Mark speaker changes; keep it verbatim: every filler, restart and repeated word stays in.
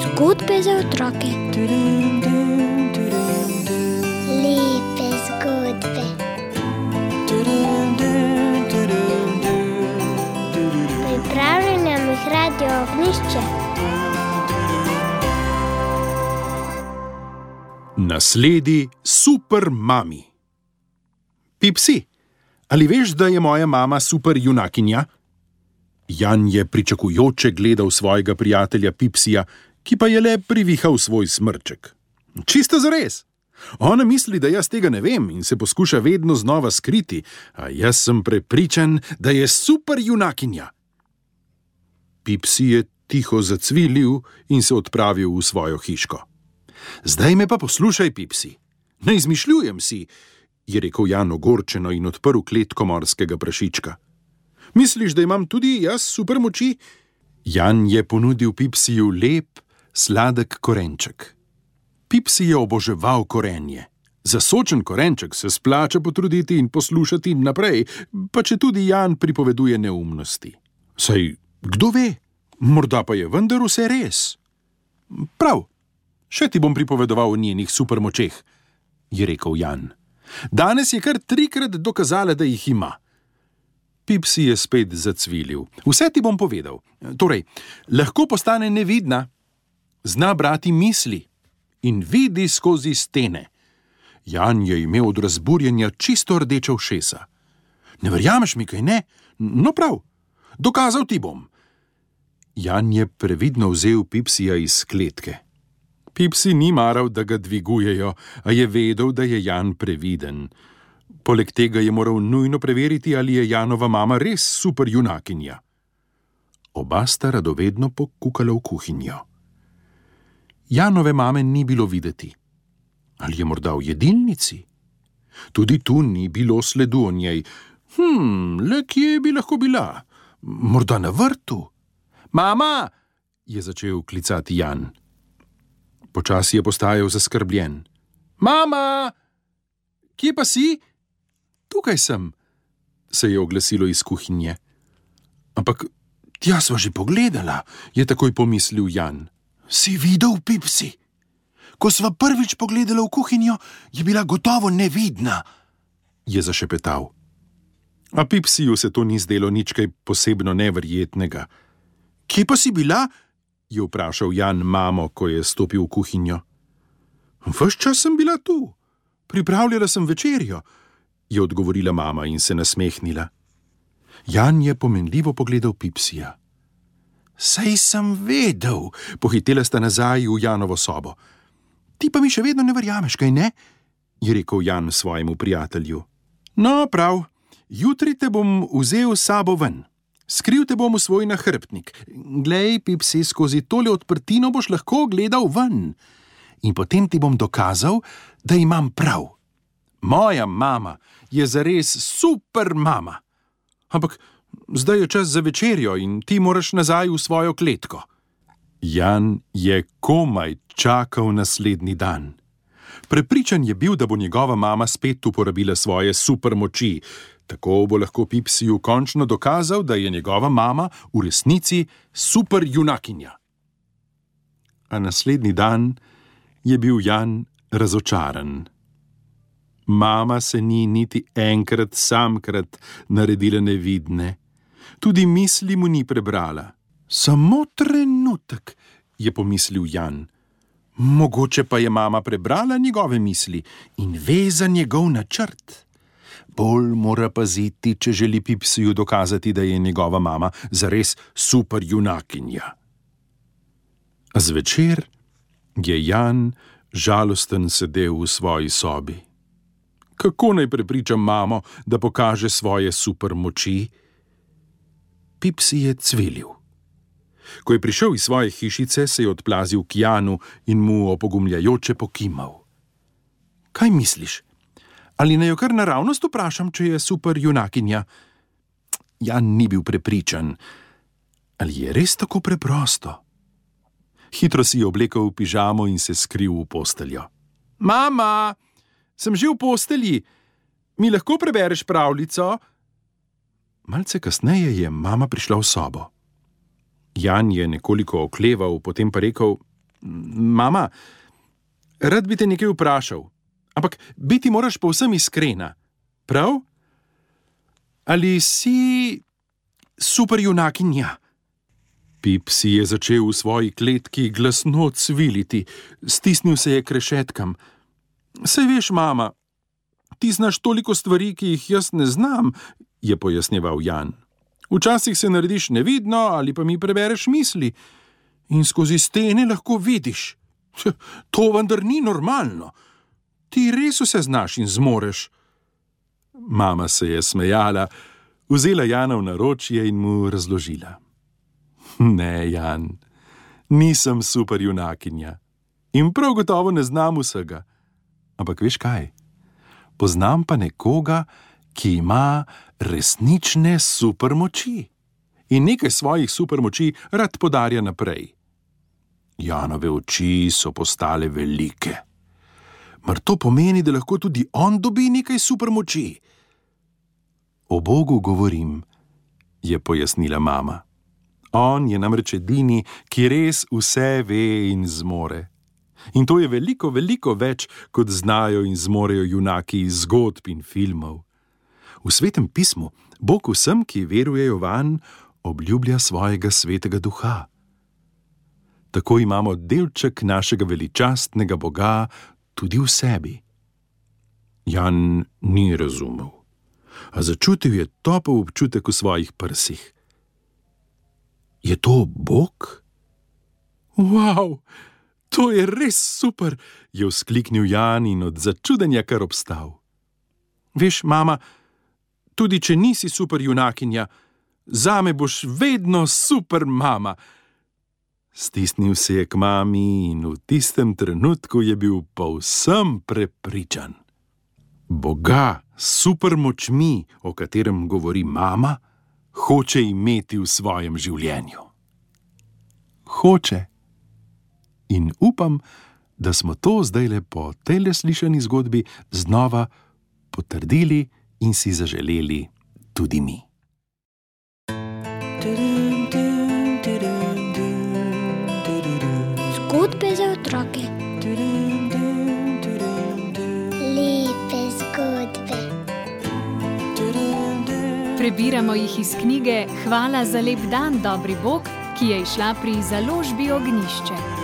Speaker 1: Zgodbe za otroke.
Speaker 2: Lepe zgodbe. Pripravlja nam jih Radio Ognjišče.
Speaker 3: Nasledi super mami. Pipsi, ali veš, da je moja mama super junakinja? Jan je pričakujoče gledal svojega prijatelja Pipsija, ki pa je le privihal svoj smrček. Čisto zares. Ona misli, da jaz tega ne vem in se poskuša vedno znova skriti, a jaz sem prepričan, da je super junakinja. Pipsi je tiho zacvilil in se odpravil v svojo hiško. Zdaj me pa poslušaj, Pipsi. Ne izmišljujem si, je rekel Jan ogorčeno in odprl kletko morskega prašička. Misliš, da imam tudi jaz super moči? Jan je ponudil Pipsiju lep, sladek korenček. Pipsi je oboževal korenje. Za sočen korenček se splača potruditi in poslušati naprej, pa če tudi Jan pripoveduje neumnosti. Saj, kdo ve, morda pa je vendar vse res. Prav, še ti bom pripovedoval o njenih supermočeh, je rekel Jan. Danes je kar trikrat dokazala, da jih ima. Pipsi je spet zacvilil. Vse ti bom povedal. Torej, lahko postane nevidna, zna brati misli in vidi skozi stene. Jan je imel od razburjenja čisto rdeča ušesa. Ne verjameš mi, kaj ne? No prav, dokazal ti bom. Jan je previdno vzel Pipsija iz kletke. Pipsi ni maral, da ga dvigujejo, a je vedel, da je Jan previden. Poleg tega je moral nujno preveriti, ali je Janova mama res super junakinja. Oba sta radovedno pokukala v kuhinjo. Janove mame ni bilo videti. Ali je morda v jedilnici? Tudi tu ni bilo sledu o njej. Hm, le kje bi lahko bila? Morda na vrtu? Mama, je začel klicati Jan. Počasi je postajal zaskrbljen. Mama, kje pa si? Tukaj sem, se je oglasilo iz kuhinje. Ampak tja sva že pogledala, je takoj pomislil Jan. Si videl, Pipsi? Ko sva prvič pogledala v kuhinjo, je bila gotovo nevidna, je zašepetal. A Pipsiju se to ni zdelo nič kaj posebno neverjetnega. Kje pa si bila? Je vprašal Jan mamo, ko je stopil v kuhinjo. Ves čas sem bila tu. Pripravljala sem večerjo, je odgovorila mama in se nasmehnila. Jan je pomenljivo pogledal Pipsija. Saj sem vedel, pohitela sta nazaj v Janovo sobo. Ti pa mi še vedno ne verjameš, kaj ne? Je rekel Jan svojemu prijatelju. No, prav, jutri te bom vzel s sabo ven. Skril te bom v svoj nahrbtnik. Glej, Pipsi, skozi tole odprtino boš lahko gledal ven. In potem ti bom dokazal, da imam prav. Moja mama je zares super mama. Ampak zdaj je čas za večerjo in ti moraš nazaj v svojo kletko. Jan je komaj čakal naslednji dan. Prepričan je bil, da bo njegova mama spet uporabila svoje super moči. Tako bo lahko Pipsiju končno dokazal, da je njegova mama v resnici super junakinja. A naslednji dan je bil Jan razočaran. Mama se ni niti enkrat samkrat naredila nevidne. Tudi misli mu ni prebrala. Samo trenutek, je pomislil Jan. Mogoče pa je mama prebrala njegove misli in ve za njegov načrt. Bolj mora paziti, če želi Pipsiju dokazati, da je njegova mama zares super junakinja. A zvečer je Jan žalosten sedel v svoji sobi. Kako naj prepričam mamo, da pokaže svoje super moči? Pipsi je cvilil. Ko je prišel iz svoje hišice, se je odplazil k Janu in mu opogumljajoče pokimal. Kaj misliš? Ali naj jo kar naravnost vprašam, če je super junakinja? Jan ni bil prepričan. Ali je res tako preprosto? Hitro si je oblekel pižamo in se skril v posteljo. Mama, sem že v postelji. Mi lahko prebereš pravljico? Malce kasneje je mama prišla v sobo. Jan je nekoliko okleval, potem pa rekel: Mama, rad bi te nekaj vprašal, ampak biti moraš povsem iskrena, prav? Ali si superjunakinja? Pip si je začel v svoji kletki glasno cviliti, stisnil se je k rešetkam. Saj veš, mama, ti znaš toliko stvari, ki jih jaz ne znam, je pojasnjeval Jan. Včasih se narediš nevidno ali pa mi prebereš misli in skozi stene lahko vidiš. To vendar ni normalno. Ti res vse znaš in zmoreš. Mama se je smejala, vzela Jana v naročje in mu razložila. Ne, Jan, nisem superjunakinja in prav gotovo ne znam vsega. Ampak veš kaj? Poznam pa nekoga, ki ima resnične supermoči in nekaj svojih supermoči rad podarja naprej. Janove oči so postale velike. Mar to pomeni, da lahko tudi on dobi nekaj supermoči? O Bogu govorim, je pojasnila mama. On je namreč edini, ki res vse ve in zmore. In to je veliko, veliko več, kot znajo in zmorejo junaki iz zgodb in filmov. V Svetem pismu Bog vsem, ki verujejo vanj, obljublja svojega svetega duha. Tako imamo delček našega veličastnega Boga tudi v sebi. Jan ni razumel, a začutil je topel občutek v svojih prsih. Je to Bog? Wow, to je res super, je vzkliknil Jan in od začudenja kar obstal. Veš, mama, tudi če nisi superjunakinja, zame boš vedno super mama. Stisnil se je k mami in v tistem trenutku je bil povsem prepričan. Boga s supermočmi, o katerem govori mama, hoče imeti v svojem življenju. Hoče. In upam, da smo to zdajle po tejle slišani zgodbi znova potrdili in si zaželeli tudi mi.
Speaker 1: Zgodbe za otroke.
Speaker 2: Lepe zgodbe.
Speaker 4: Prebiramo jih iz knjige Hvala za lep dan, dobri Bog, ki je izšla pri založbi Ognjišče.